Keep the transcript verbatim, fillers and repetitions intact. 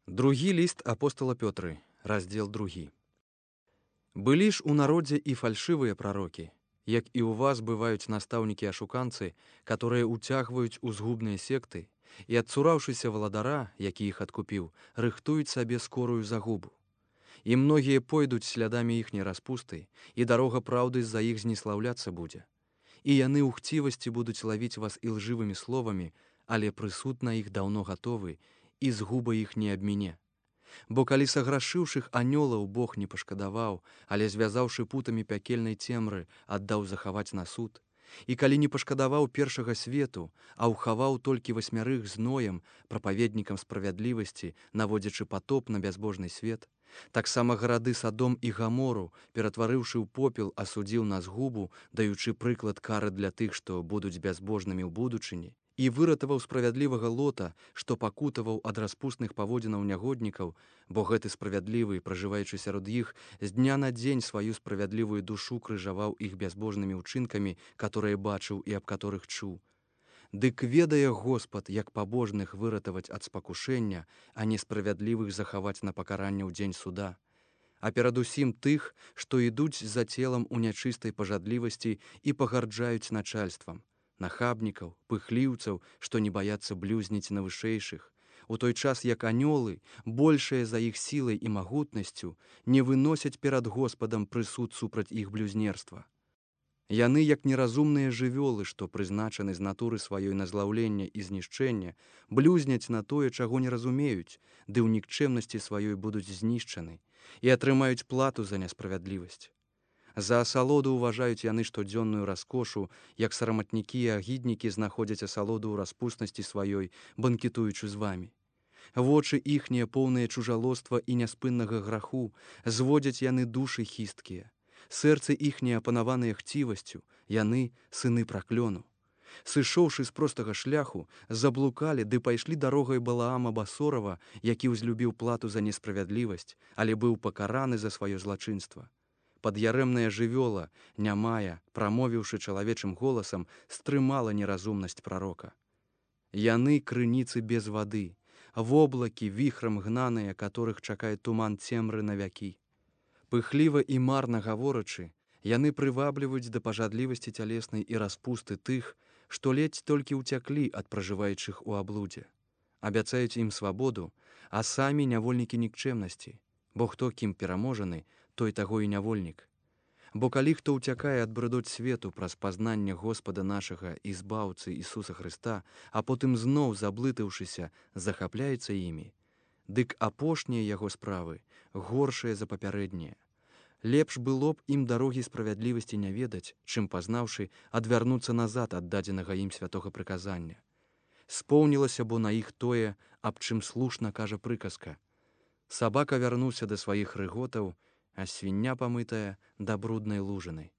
Другі ліст апостала Пётры, раздзел другі. Былі ж у народзе і фальшывыя прарокі, як і ў вас бываюць настаўнікі-ашуканцы, которые уцягваюць у згубныя секты і, адцураўшыся валадара, які іх адкупіў, рыхтуюць сабе скорую загубу. І многія пойдуць слядамі іхняй распусты, і дарога праўды з-за іх зніслаўляцца будзе. І яны ў хцівасці будуць лавіць вас ілжывымі словамі, але прысуд на іх даўно гатовы, і згуба іх не абміне. Бо калі саграшыўшых анёлаў Бог не пашкадаваў, але звязаўшы путамі пякельнай цемры, аддаў захаваць на суд, і калі не пашкадаваў першага свету, а ўхаваў толькі васьмярых зноем, прапаведнікам справядлівасці, наводзячы патоп на бязбожны свет, таксама гарады Садом і Гамору, ператварыўшы ў попел, асудзіў на згубу, даючы прыклад кары для тых, што будуць бязбожнымі ў будучыні, і выратаваў справядлівага Лота, што пакутаваў ад распустных паводзінаў нягоднікаў, бо гэты справядлівы, пражываючы сярод іх, з дня на дзень сваю справядлівую душу крыжаваў іх бязбожнымі ўчынкамі, которые бачыў і аб которых чуў. Дык ведае Господ, як пабожных выратаваць ад спакушэння, а несправядлівых захаваць на пакаранне ў дзень суда. А перадусім тых, што ідуць за целам у нячыстай пажадлівасці і пагарджаюць начальствам, нахабнікаў, пыхліўцаў, што не баяцца блюзніць на вышэйшых, у той час як анёлы, большыя за іх сілай і магутнасцю, не выносяць перад Господам прысуд супраць іх блюзнерства. Яны, як неразумныя жывёлы, што прызначаны з натуры сваёй на злаўленне і знішчэнне, блюзняць на тое, чаго не разумеюць, ды ў нікчэмнасці сваёй будуць знішчаны і атрымаюць плату за несправядлівасць. За асалоду ўважаюць яны штодзённую раскошу, як сараматнікі і агіднікі знаходзяць асалоду ў распуснасці сваёй, банкетуючы з вамі. Вочы іхнія, поўныя чужалоства і няспыннага граху, зводзяць яны душы хісткія. Сэрцы іхнія апанаваныя хцівасцю, яны сыны праклёну. Сышоўшы з простага шляху, заблукалі ды пайшлі дарогай Балаама Басорава, які ўзлюбіў плату за несправядлівасць, але быў пакараны за сваё злачынства. Пад'ярэмная жывёла, нямая, прамовіўшы чалавечым голасам, стрымала неразумнасць прарока. Яны крыніцы без вады, воблакі віхрам гнаныя, которых чакае туман цемры на вякі. Пыхліва і марна гаворачы, яны прывабліваюць да пажадлівасці цялеснай і распусты тых, што ледзь толькі ўцяклі ад пражываючых у аблудзе. Абяцаюць ім свабоду, а самі нявольнікі нікчэмнасці, бо хто кім пераможаны, той таго і нявольнік. Бо калі хто ўцякае ад брыдоць свету праз пазнанне Господа нашага і збаўцы Ісуса Хрыста, а потым зноў, заблытаўшыся, захапляецца імі, дык апошнія яго справы горшыя за папярэднія. Лепш было б ім дарогі справядлівасці не ведаць, чым, пазнаўшы, адвярнуцца назад ад дадзенага ім святога прыказання. Споўнілася бо на іх тое, аб чым слушна кажа прыказка. Сабака вярнуўся да сваіх рыготаў, а свіння памытая да бруднай лужыны.